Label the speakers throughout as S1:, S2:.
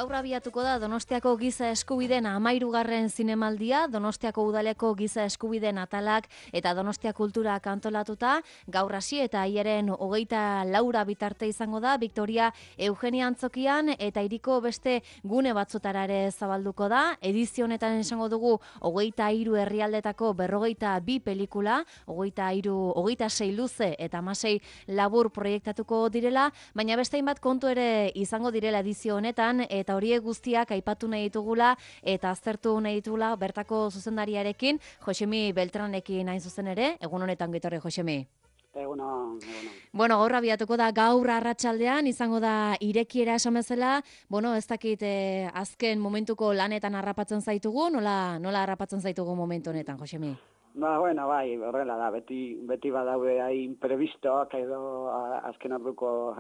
S1: Gaur abiatuko da Donostiako giza eskubideen 13. zinemaldia, Donostiako udaleko giza eskubideen atalak eta Donostia kultura antolatuta, gaur hasi eta hilaren 24 bitarte izango da, Victoria Eugenia Antzokian eta hiriko beste gune batzutara ere zabalduko da. Edizio honetan esango dugu 23 herrialdetako 42 pelikula, 26 luze eta 16 labur proiektatuko direla, baina beste hainbat kontu ere izango direla edizio honetan, eta horiek guztiak aipatu nahi ditugula eta aztertu nahi ditugula bertako zuzendariarekin, Josemi Beltranekin hain zuzen ere. Egun honetan gitorri, Josemi.
S2: Egunon.
S1: Bueno, gaur abiatuko da, gaur arratsaldean izango da irekiera esan bezala. Bueno, ez dakit azken momentuko lanetan harrapatzen zaitugu, nola harrapatzen zaitugu momentu honetan, Josemi?
S2: Bai, horrela da, beti badaude imprevistoak edo azken orduko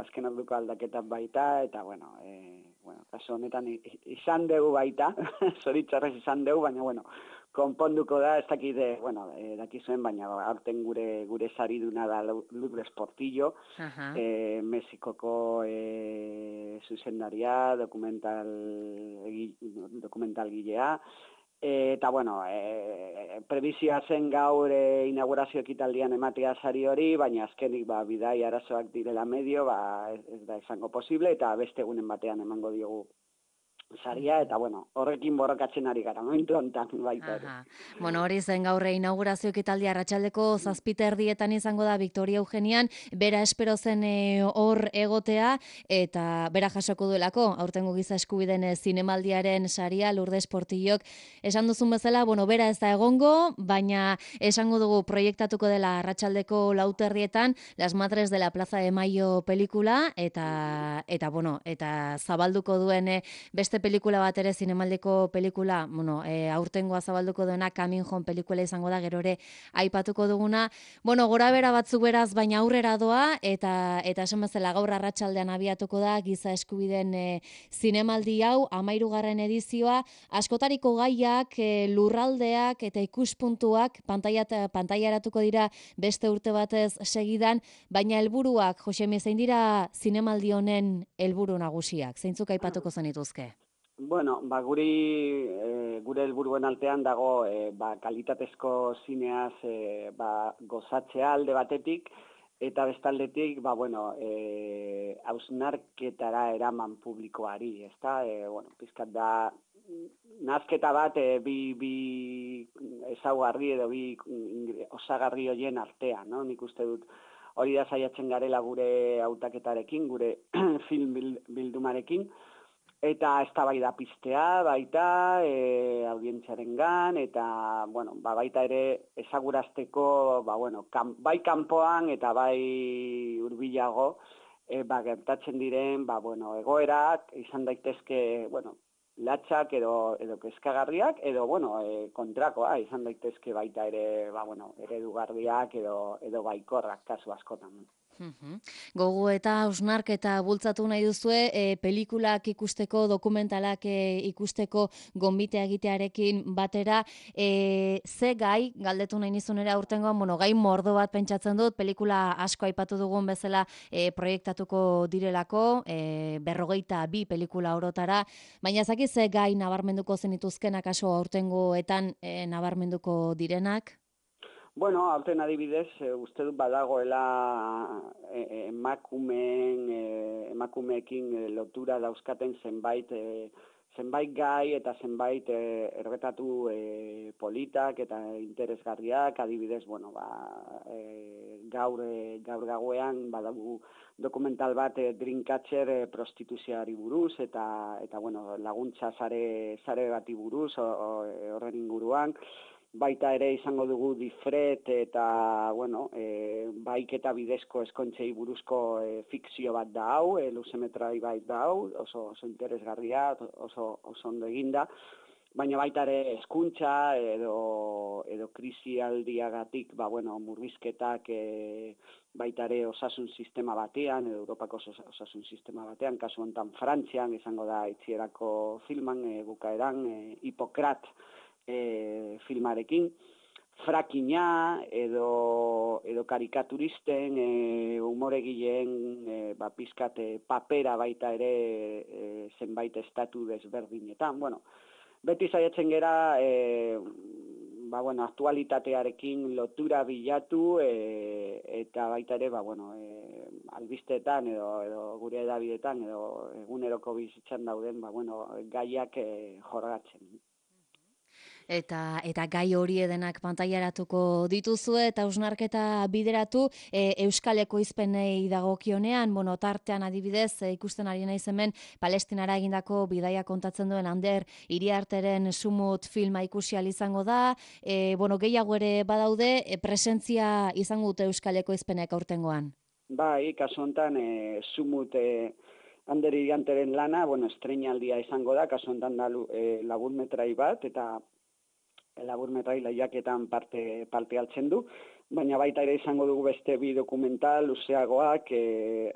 S2: aldaketak baita, eta kasu honetan izan dugu baita, zoritzarrez izan dugu, baina konponduko da, ez dakit, dakizuen, baina aurten gure sariduna da Lourdes Portillo, Mexikoko zuzendaria, dokumentalgilea, eta prebizioa zen gaur inaugurazio ekitaldian ematea sari hori, baina azkenik bidai arazoak direla medio, ez da izango posible, eta beste egunen batean emango diogu saria, eta horrekin borrokatzen ari gara, momentu honetan baita ere.
S1: Bueno, hori zen gaur inaugurazio ekitaldia arratsaldeko 7:00 izango da Victoria Eugenian, bera espero zen hor egotea, eta bera jasoko duelako, aurtengo giza eskubideen zinemaldiaren saria, Lourdes Portillok esan duzun bezala, bera ez da egongo, baina esango dugu proiektatuko dela arratsaldeko 4:00 Las Madres de la Plaza de Mayo pelikula, eta zabalduko duen beste pelikula bat ere, zinemaldeko pelikula, aurtengoa zabalduko duena Coming Home pelikula izango da, gero ere aipatuko duguna. Gora bera batzuk beraz, baina aurrera doa, eta esan bezala gaur arratsaldean abiatuko da giza eskubideen zinemaldi hau, 13. edizioa, askotariko gaiak, lurraldeak eta ikuspuntuak pantailaratuko dira beste urte batez segidan, baina helburuak, Josemi, zein dira zinemaldi honen helburu nagusiak? Zeintzuk aipatuko zenituzke?
S2: Gure helburuen altean dago kalitatezko zineaz gozatzea alde batetik, eta bestaldetik hausnarketara eraman publikoari, ezta? Pizkat da nazketa bat bi ezaugarri edo bi osagarri horien artean, no? Nik uste dut hori da saiatzen garela gure hautaketarekin, gure film bildumarekin, eta eztabaida piztea baita audientziarengan, eta baita ere ezagurazteko bai kanpoan eta bai hurbilago gertatzen diren egoerak izan daitezke latxak edo kezkagarriak, edo kontrakoa izan daitezke baita ere eredugarriak edo baikorrak kasu askotan.
S1: Gogo eta hausnarketa bultzatu nahi duzue, pelikulak ikusteko, dokumentalak ikusteko gonbitea egitearekin batera, ze gai, galdetu nahi nizunera aurtengoan, gai mordo bat pentsatzen dut, pelikula asko aipatu dugun bezala proiektatuko direlako, 42 pelikula orotara, baina zaki ze gai nabarmenduko zenituzkenak aso aurtengoetan nabarmenduko direnak?
S2: Aurten adibidez, uste dut badagoela emakumeekin lotura dauzkaten zenbait gai eta zenbait erretatu politak eta interesgarriak, adibidez, gaur gauean badago dokumental bat Dreamcatcher prostituzioari buruz eta laguntza sare bati buruz horren inguruan. Baita ere izango dugu Difret eta, baiketa bidezko eskointzei buruzko fikzio bat da hau, luzemetrai bat da hau, oso interesgarria, oso ondo eginda, baina baita ere hezkuntza edo krisialdiagatik, murrizketak baita ere osasun sistema batean, edo Europako osasun sistema batean, kasu honetan Frantzian izango da itzierako filman, bukaeran, Hipokrat filmarekin. frakina edo karikaturisten, umoregileen pizkat papera baita ere zenbait estatu desberdinetan. Bueno, beti saiatzen gera aktualitatearekin lotura bilatu eta baita ere albisteetan edo gure edabidetan edo eguneroko bizitzan dauden gaiak jorratzen.
S1: Eta gai hori edenak pantailaratuko dituzue eta hausnarketa bideratu Euskal Ekoizpenei dagokionean, tartean adibidez ikusten ari naiz hemen Palestinara egindako bidaia kontatzen duen Ander Iriarteren Sumut filma ikusi ahal izango da, gehiago ere badaude, presentzia izango dute Euskal Ekoizpenek aurtengoan.
S2: Bai, kasu honetan Sumut Ander Iriarteren lana, estreinaldia izango da, kasu honetan da laburmetrai bat, eta laburmetrai lehiaketan parte hartzen du, baina baita ere izango dugu beste bi dokumental luzeagoak,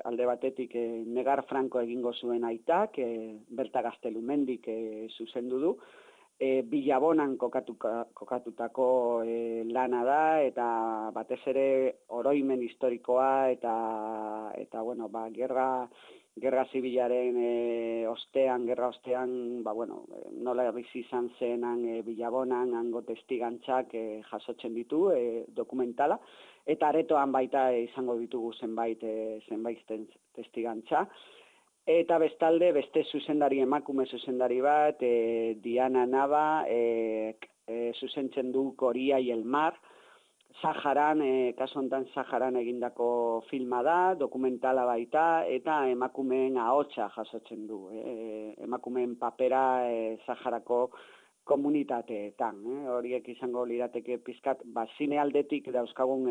S2: alde batetik Negar Franco egingo zuen aitak, Berta Gaztelumendik zuzendu du, Bilabonan kokatutako lana da, eta batez ere oroimen historikoa eta gerra zibilaren gerra ostean, nola bizi izan zenan Bilabonan, hango testigantzak jasotzen ditu dokumentala, eta aretoan baita izango ditugu zenbait testigantza. Eta bestalde, beste emakume zuzendari bat, Diana Nava, zuzentzen du Coria y el Mar, Saharan, kasu honetan Saharan egindako filma da, dokumentala baita, eta emakumeen ahotsa jasotzen du. Emakumeen papera Saharako komunitateetan. Horiek izango lirateke pizkat, zine aldetik dauzkagun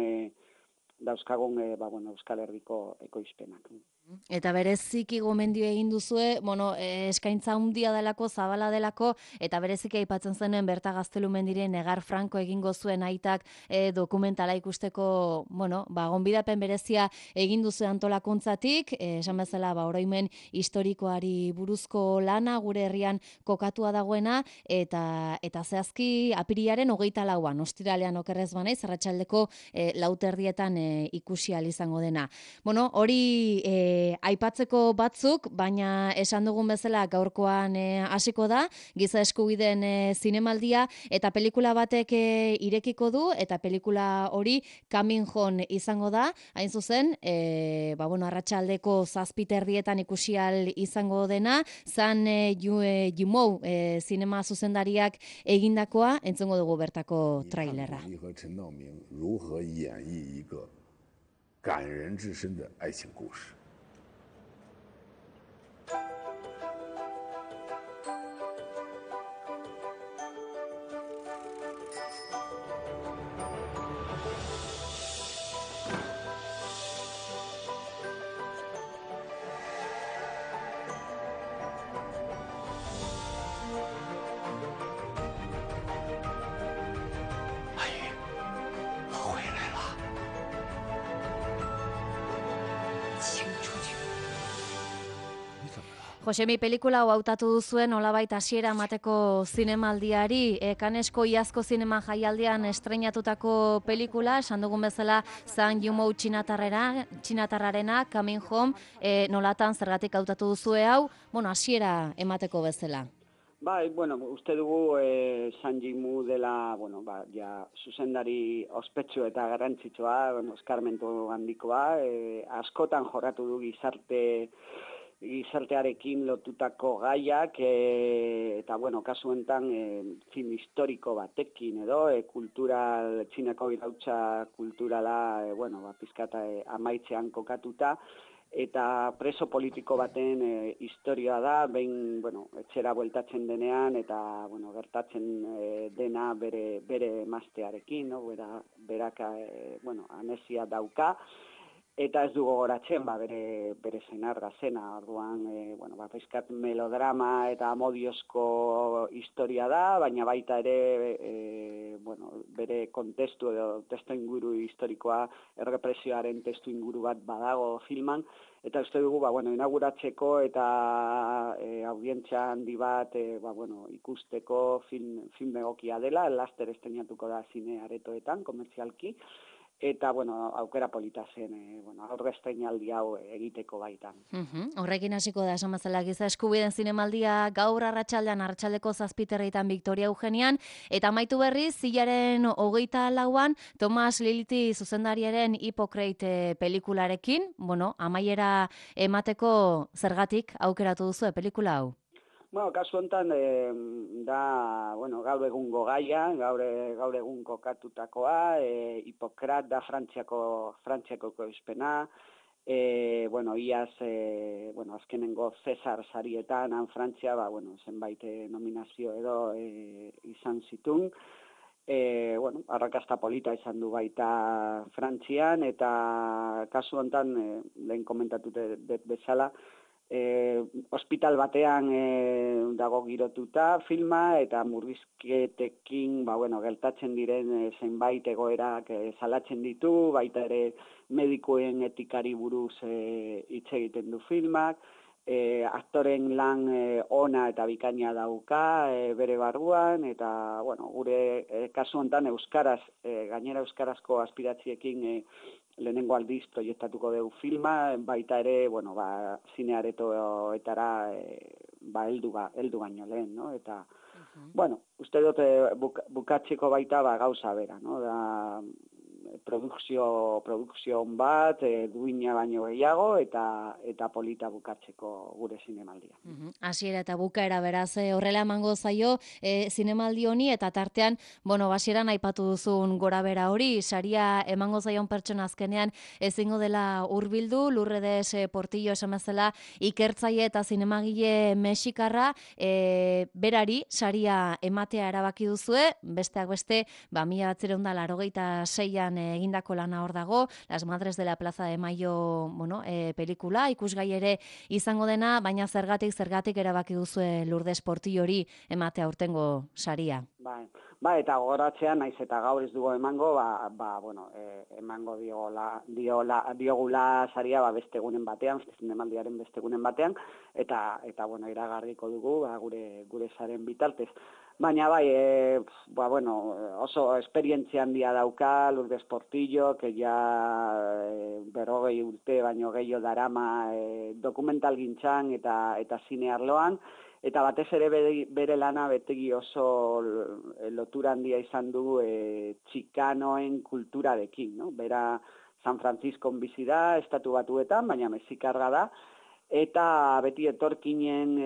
S2: Euskal Herriko ekoizpenak.
S1: Eta bereziki gomendio egin duzue, eskaintza handia delako, zabala delako, eta bereziki aipatzen zenen Berta Gaztelumendiren Negar Franco egingo zuen aitak dokumentala ikusteko, gonbidapen berezia egin duzu antolakuntzatik, esan bezala oroimen historikoari buruzko lana, gure herrian kokatua dagoena, eta zehazki apirilaren 24an, ostiralean okerrez banaiz, arratsaldeko 4:00 ikusi ahal izango dena. Hori aipatzeko batzuk, baina esan dugun bezala gaurkoan hasiko da, giza eskubideen zinemaldia, eta pelikula batek irekiko du, eta pelikula hori Coming Home izango da, hain zuzen, arratsaldeko 7:30 ikusi ahal izango dena, Zhang Yimou zinema zuzendariak egindakoa, entzungo dugu bertako trailerra.
S3: 感人至深的爱情故事。
S1: Josemi, pelikula hau hautatu duzuen nolabait hasiera emateko zinemaldiari, Kanesko iazko zinema jaialdian estreinatutako pelikula, esan dugun bezala Zhang Yimou txinatarrarena, Coming Home, nolatan zergatik hautatu duzue hau, hasiera emateko bezala.
S2: Bai, uste dugu Zhang Yimou dela, zuzendari ospetsu eta garrantzitsua, eskarmentu handikoa, askotan jorratu du gizartearekin lotutako gaiak, eta kasu honetan film historiko batekin edo, Txinako irautza kulturala, pizkata amaitzean kokatuta, eta preso politiko baten historia da, behin, etxera bueltatzen denean, eta, gertatzen dena bere emaztearekin, berak, anesia dauka, eta ez du gogoratzen, bere senarra zena, orduan, pizkat melodrama eta amodiozko historia da, baina baita ere, bere kontestu edo testu inguru historikoa, errepresioaren testu inguru bat badago filman, eta uste dugu, inauguratzeko eta audientzia handi bat, ikusteko film egokia dela, laster estrenatuko da zine aretoetan, komertzialki, eta, aukera polita zen, aurre estreinaldi hau egiteko baitan.
S1: Horrekin hasiko da, esan bezala, giza eskubideen zinemaldia gaur arratsaldeko 7:30 Victoria Eugenian, eta amaitu berriz, zilaren 24an, Thomas Lilty zuzendariaren Hippocrate pelikularekin, amaiera emateko zergatik aukeratu duzu pelikula hau?
S2: Kasu honetan, gaur egungo gaia, gaur egun kokatutakoa, Hipokrat da Frantziako ekoizpena, iaz, azkenengo Cesar sarietan, Frantzia, zenbait nominazio edo izan zitun, arrakasta polita izan du baita Frantzian, eta kasu honetan, lehen komentatute bezala, hospital batean dago girotuta filma eta murrizketekin gertatzen diren zenbait egoerak salatzen ditu, baita ere medikuen etikari buruz hitz egiten du filmak, aktoren lan ona eta bikaina dauka bere barruan, eta gure kasu honetan gainera euskarazko aspiratziekin lehenengo aldiz proiektatuko dugu filma, baita ere, zine aretoetara heldu baino lehen, no? Eta, uste dut bukatzeko baita gauza bera, no? Da, produkzio bat, duina baino gehiago, eta polita bukatzeko gure zinemaldia.
S1: Hasiera eta bukaera beraz, horrela emango zaio zinemaldi honi, eta tartean, basieran aipatu duzun gora bera hori, saria emango zaion pertsona azkenean ezingo dela hurbildu, Lourdes Portillo esan bezala ikertzaile eta zinemagile mexikarra, berari saria ematea erabaki duzue, besteak beste, 1986an egindako lana hor dago, Las Madres de la Plaza de Mayo, pelikula, ikusgai ere izango dena, baina zergatik erabaki duzue Lourdes Portillo hori ematea aurtengo saria.
S2: Eta gogoratzea, naiz eta gaur ez dugu emango, emango diogula saria beste egunen batean, zinemaldiaren beste egunen batean, eta iragarriko dugu gure saren bitartez. Baina oso esperientzia handia dauka Lourdes Portillo, que ja 40 urte baino gehiago darama dokumentalgintzan eta zine arloan, eta batez ere bere lana betegi oso lotura handia izan du txikanoen kulturarekin, no? Bera San Franciscon bizi da, Estatu Batuetan, baina mexikarra da, eta beti etorkinen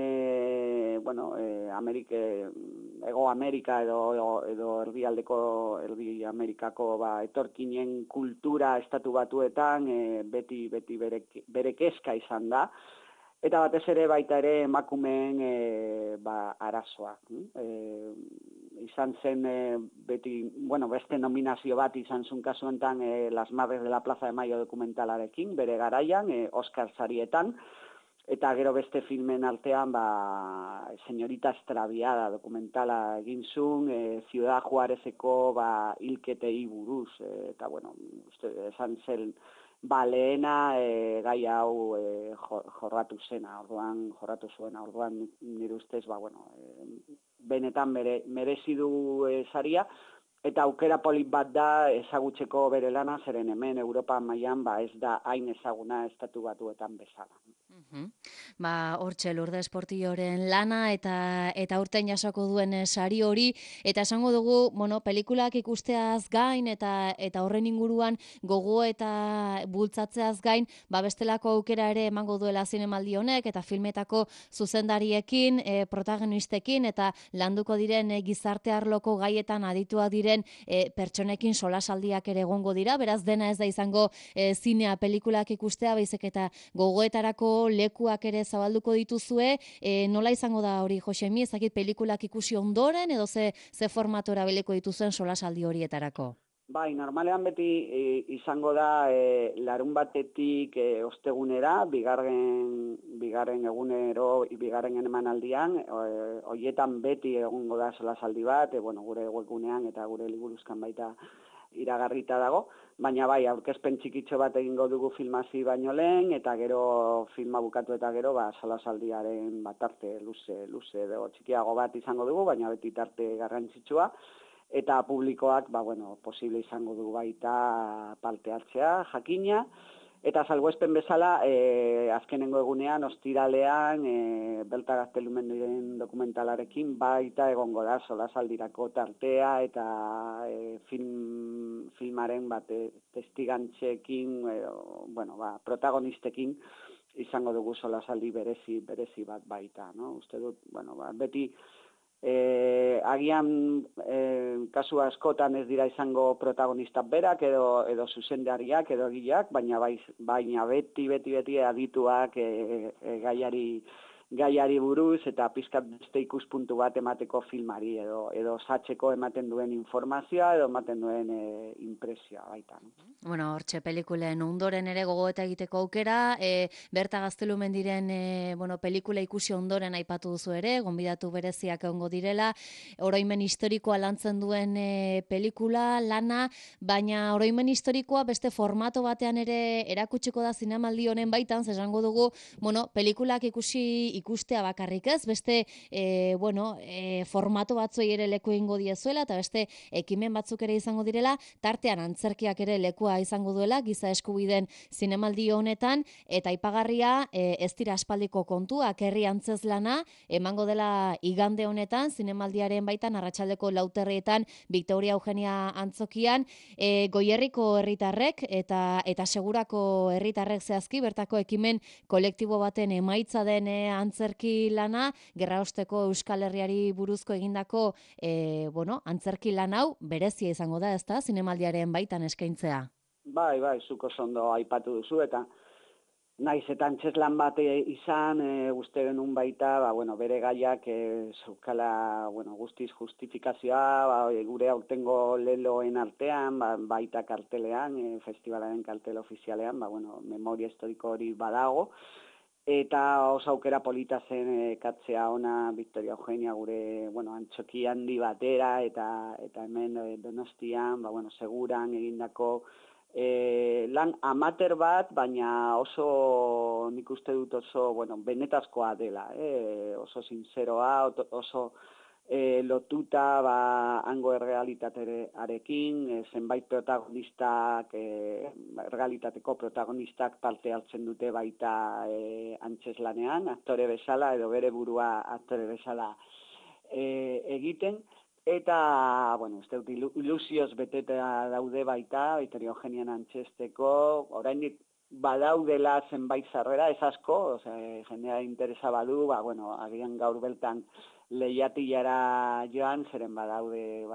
S2: Hego Amerika edo Erdi Amerikako etorkinen kultura Estatu Batuetan beti bere kezka izan da, eta batez ere baita ere emakumeen arazoa. Izan zen beti, beste nominazio bat izan zuen kasu honetan Las Madres de la Plaza de Mayo dokumentalarekin, bere garaian, Oscar sarietan, eta gero beste filmen artean, Señorita Extraviada dokumentala egin zuen, Ciudad Juarezeko hilketei buruz, eta esan zen, lehena gai hau jorratu zuena, orduan nire ustez, benetan merezi du saria, eta aukera polit bat da ezagutzeko bere lana, zeren hemen Europa mailan ez da hain ezaguna Estatu Batuetan bezala.
S1: Hortxe Lourdes Portilloren lana eta urten jasoko duen sari hori, eta esango dugu, pelikulak ikusteaz gain eta horren inguruan gogo eta bultzatzeaz gain, bestelako aukera ere emango duela zinemaldi honek, eta filmetako zuzendariekin, protagonistekin, eta landuko diren gizarte arloko gaietan aditua diren pertsonekin solasaldiak ere egongo dira, beraz dena ez da izango zinea pelikulak ikustea, baizik eta gogoetarako lekuak ere zabalduko dituzue, nola izango da hori, Josemi, ezakit pelikulak ikusi ondoren, edo ze formatu erabiliko dituzuen solasaldi horietarako?
S2: Normalean beti izango da larun batetik ostegunera, bigarren egunero, bigarren emanaldian, horietan beti egongo da solasaldi bat, gure webgunean eta gure liburuzkan baita iragarrita dago, baina bai, aurkezpen txikitxo bat egingo dugu filmasi baino lehen, eta gero filma bukatu eta gero, solasaldiaren tarte luze edo txikiago bat izango dugu, baina beti tarte garrantzitsua, eta publikoak, posible izango dugu baita parte hartzea, jakina, eta salbuespen bezala, azkenengo egunean, ostiralean, Belta Gaztelumendiren dokumentalarekin baita egongo da solasaldirako tartea eta filmaren testigantzekin, protagonistekin izango dugu solasaldi berezi bat baita, no? Uste dut, beti agian kasu askotan ez dira izango protagonistak berak edo zuzendariak edo egileak, baina beti adituak gaiari buruz eta pizkat beste ikuspuntu bat emateko filmari edo satzeko ematen duen informazioa edo ematen duen impresioa baita.
S1: Bueno, hortxe pelikulen ondoren ere gogoeta egiteko aukera, Berta Gaztelumendiren pelikula ikusi ondoren aipatu duzu ere, gonbidatu bereziak egongo direla, oroimen historikoa lantzen duen pelikula, lana, baina oroimen historikoa beste formato batean ere erakutsiko da zinemaldi honen baitan, esango dugu, pelikulak ikustea bakarrik ez, beste formato batzuei ere leku egingo diezuela, eta beste ekimen batzuk ere izango direla, tartean antzerkiak ere lekua izango duela, giza eskubideen zinemaldi honetan, eta aipagarria ez dira aspaldiko kontuak, herri antzezlana, emango dela igande honetan, zinemaldiaren baitan, arratsaldeko 4:00 Victoria Eugenia antzokian, Goierriko herritarrek eta Segurako herritarrek zehazki, bertako ekimen kolektibo baten emaitza den antzerki lana, gerraosteko Euskal Herriari buruzko egindako antzerki lan hau berezia izango da, ezta, zinemaldiaren baitan eskaintzea.
S2: Bai, zuk oso ondo aipatu duzu, eta naiz eta antzeslan bat izan, uste genuen baita, bere gaiak zeukala, guztiz justifikazioa, gure aurtengo leloen artean, baita kartelean, festivalaren kartel ofizialean, memoria historiko hori badago, eta oso aukera polita zen katzea ona Victoria Eugenia gure, antzoki handi batera, eta hemen Donostian, Seguran egindako lan amateur bat, baina oso, nik uste dut oso, benetazkoa dela, oso sinceroa, oso lotuta hango errealitatearekin, zenbait protagonistak, errealitateko protagonistak parte hartzen dute baita antzeslanean, aktore bezala edo bere burua aktore bezala egiten, eta, uste dut, ilusioz beteta daude baita, Victoria Eugenian antzesteko, oraindik badaudela zenbait sarrera, ez asko, jendea interesa badu, agian gaur beltan lehiatilara joan, zeren badaude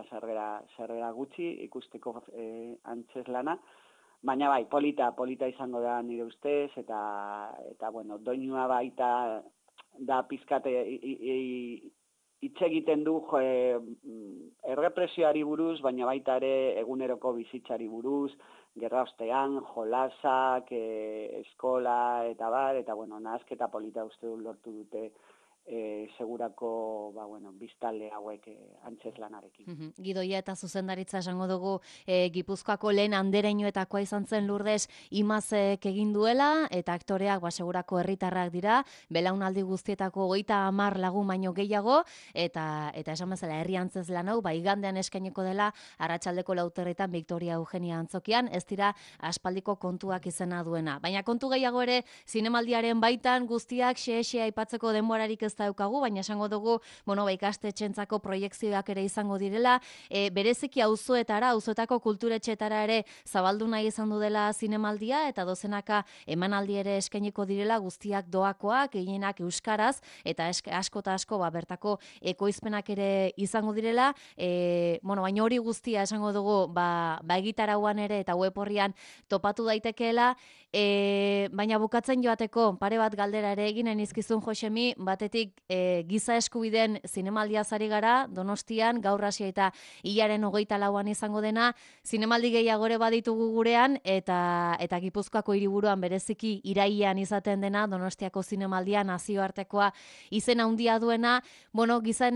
S2: sarrera gutxi ikusteko antzeslana, baina polita izango da nire ustez, eta doinua baita da pizkate hitz egiten du errepresioari buruz, baina baita ere eguneroko bizitzari buruz, gerraostean, jolasak, eskola, eta nahasketa polita uste dut lortu dute Segurako biztanle hauek antzeslanarekin.
S1: Gidoia eta zuzendaritza esango dugu Gipuzkoako lehen andereñoetakoa izan zen Lourdes Imazek egin duela, eta aktoreak Segurako herritarrak dira, belaunaldi guztietako 30 lagun baino gehiago, eta esan bezala herri antzezlan hau, igandean eskaineko dela arratsaldeko 4:00 Victoria Eugenia antzokian, ez dira aspaldiko kontuak izena duena. Baina kontu gehiago ere, zinemaldiaren baitan guztiak xe aipatzeko denborarik ez daukagu, baina esango dugu, ikastetxentzako proiekzioak ere izango direla, bereziki auzoetako kulturetxetara ere zabaldu nahi izan du dela zinemaldia, eta dozenaka emanaldi ere eskainiko direla, guztiak doakoak, gehienak euskaraz, eta asko bertako ekoizpenak ere izango direla, baina hori guztia esango dugu, egitarauan ere eta web horrian topatu daitekeela, baina bukatzen joateko, pare bat galdera ere eginen izkizun Josemi, batetik batetik giza eskubideen zinemaldia zari gara, Donostian, gaur hasi eta hilaren 24an izango dena, zinemaldi gehiagore baditugu gurean, eta Gipuzkoako hiriburuan bereziki irailean izaten dena, Donostiako zinemaldia nazioartekoa izen handia duena, bueno, giza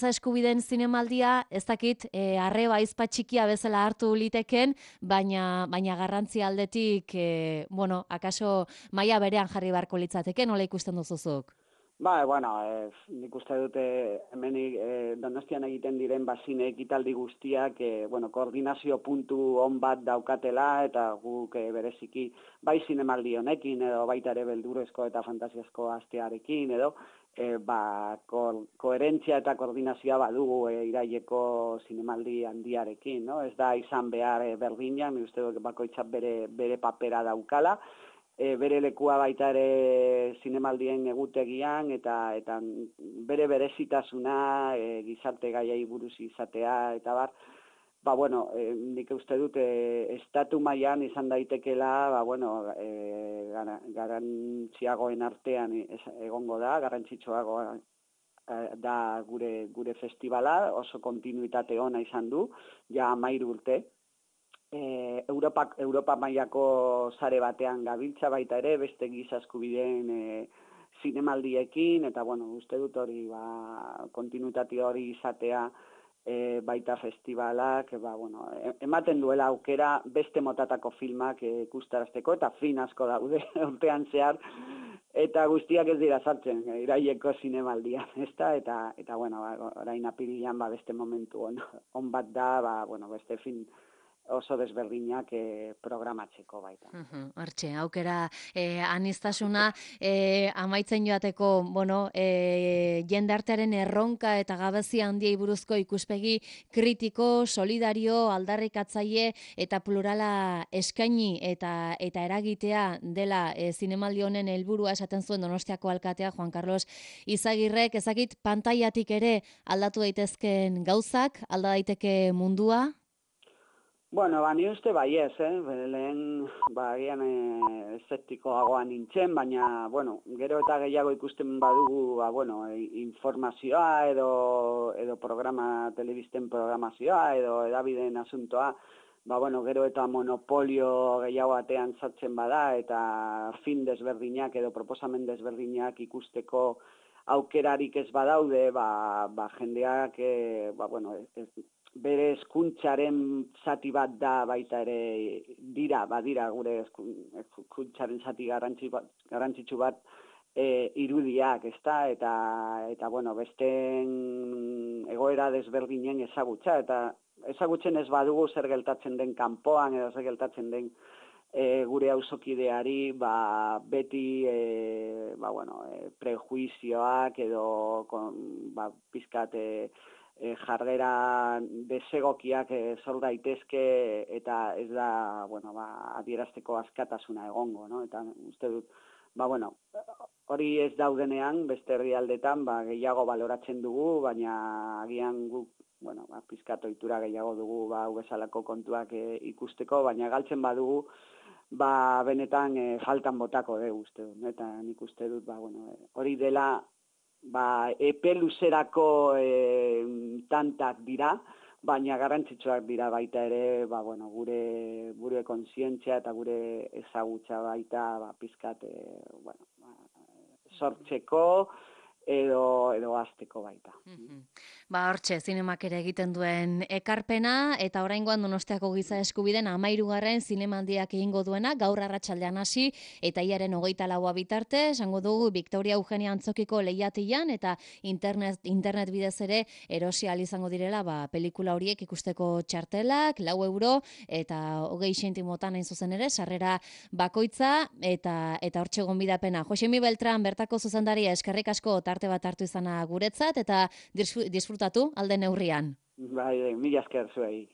S1: eskubideen zinemaldia, ez dakit, arreba aizpa txikia bezala hartu liteken, baina garrantzi aldetik, bueno, akaso maila berean jarri beharko litzateke, nola ikusten duzuzuk?
S2: Bueno, nik uste dute hemenik Donostian egiten diren zine ekitaldi guztiak, koordinazio puntu on bat daukatela, eta guk bereziki bai zinemaldi honekin, edo baita ere beldurrezko eta fantasiazko astearekin, edo koherentzia eta koordinazioa badugu iraileko zinemaldi handiarekin, no? Ez da izan behar berdina, nik uste dut bakoitzak bere papera daukala, bere lekua baita ere zinemaldien egutegian, eta bere berezitasuna, gizarte gaiei buruz izatea, eta bar, nik uste dut estatu mailan izan daitekela, garrantziagoen artean egongo da, garrantzitsuagoa da gure festivala, oso kontinuitate ona izan du, ja 13 urte. Europa mailako sare batean gabiltza baita ere, beste giza eskubideen zinemaldiekin, eta uste dut hori kontinuitate hori izatea baita festivalak, ematen duela aukera beste motatako filmak ikustarazteko, eta film asko daude urtean zehar, eta guztiak ez dira sartzen iraileko zinemaldian, ezta? Eta orain apirilean beste momentu on bat da, beste film oso desberdinak programatzeko baita.
S1: Hortxe, aukera aniztasuna amaitzen joateko, jendartearen erronka eta gabezia handiei buruzko ikuspegi kritiko, solidario, aldarrikatzaile eta plurala eskaini eta eragitea dela zinemaldi honen helburua esaten zuen Donostiako alkatea Juan Carlos Izagirrek, ezakit pantailatik ere aldatu daitezken gauzak, alda daiteke mundua?
S2: Ni uste ez, lehen agian eszeptikoagoa nintzen, baina, gero eta gehiago ikusten badugu, informazioa edo programa, telebisten programazioa edo edabideen asuntoa, gero eta monopolio gehiago batean sartzen bada eta film desberdinak edo proposamen desberdinak ikusteko aukerarik ez badaude, jendeak, bere hezkuntzaren zati bat da baita ere badira gure hezkuntzaren zati garrantzitsu bat irudiak, ezta? Eta besteen egoera desberdinen ezagutza, eta ezagutzen ez badugu zer gertatzen den kanpoan edo zer gertatzen den gure auzokideari, beti prejuizioak edo pizkat jarrera desegokiak sor daitezke, eta ez da adierazteko askatasuna egongo, no? Eta uste dut, hori ez daudenean, beste herrialdetan gehiago baloratzen dugu, baina agian guk pizkat ohitura gehiago dugu hau bezalako kontuak ikusteko, baina galtzen badugu, benetan faltan botako dugu, uste dut, eta nik uste dut, hori dela epe luzerako tantak dira, baina garrantzitsuak dira baita ere, gure kontzientzia eta gure ezagutza baita pizkat sortzeko edo hasteko baita.
S1: Hortxe, zinemak ere egiten duen ekarpena, eta oraingoan Donostiako giza eskubideen 13. zinemaldiak egingo duena, gaur arratsaldean hasi, eta hilaren 24a bitarte, esango dugu Victoria Eugenia Antzokiko lehiatilan, eta internet bidez ere erosi ahal izango direla, pelikula horiek ikusteko txartelak, 4 euro, eta 20 zentimotan hain zuzen ere, sarrera bakoitza, eta hortxe gonbidapena. Josemi Beltran, bertako zuzendaria, eskerrik asko tarte bat hartu izana guretzat, eta disfrutatu alde neurrian.
S2: Mila esker zuei.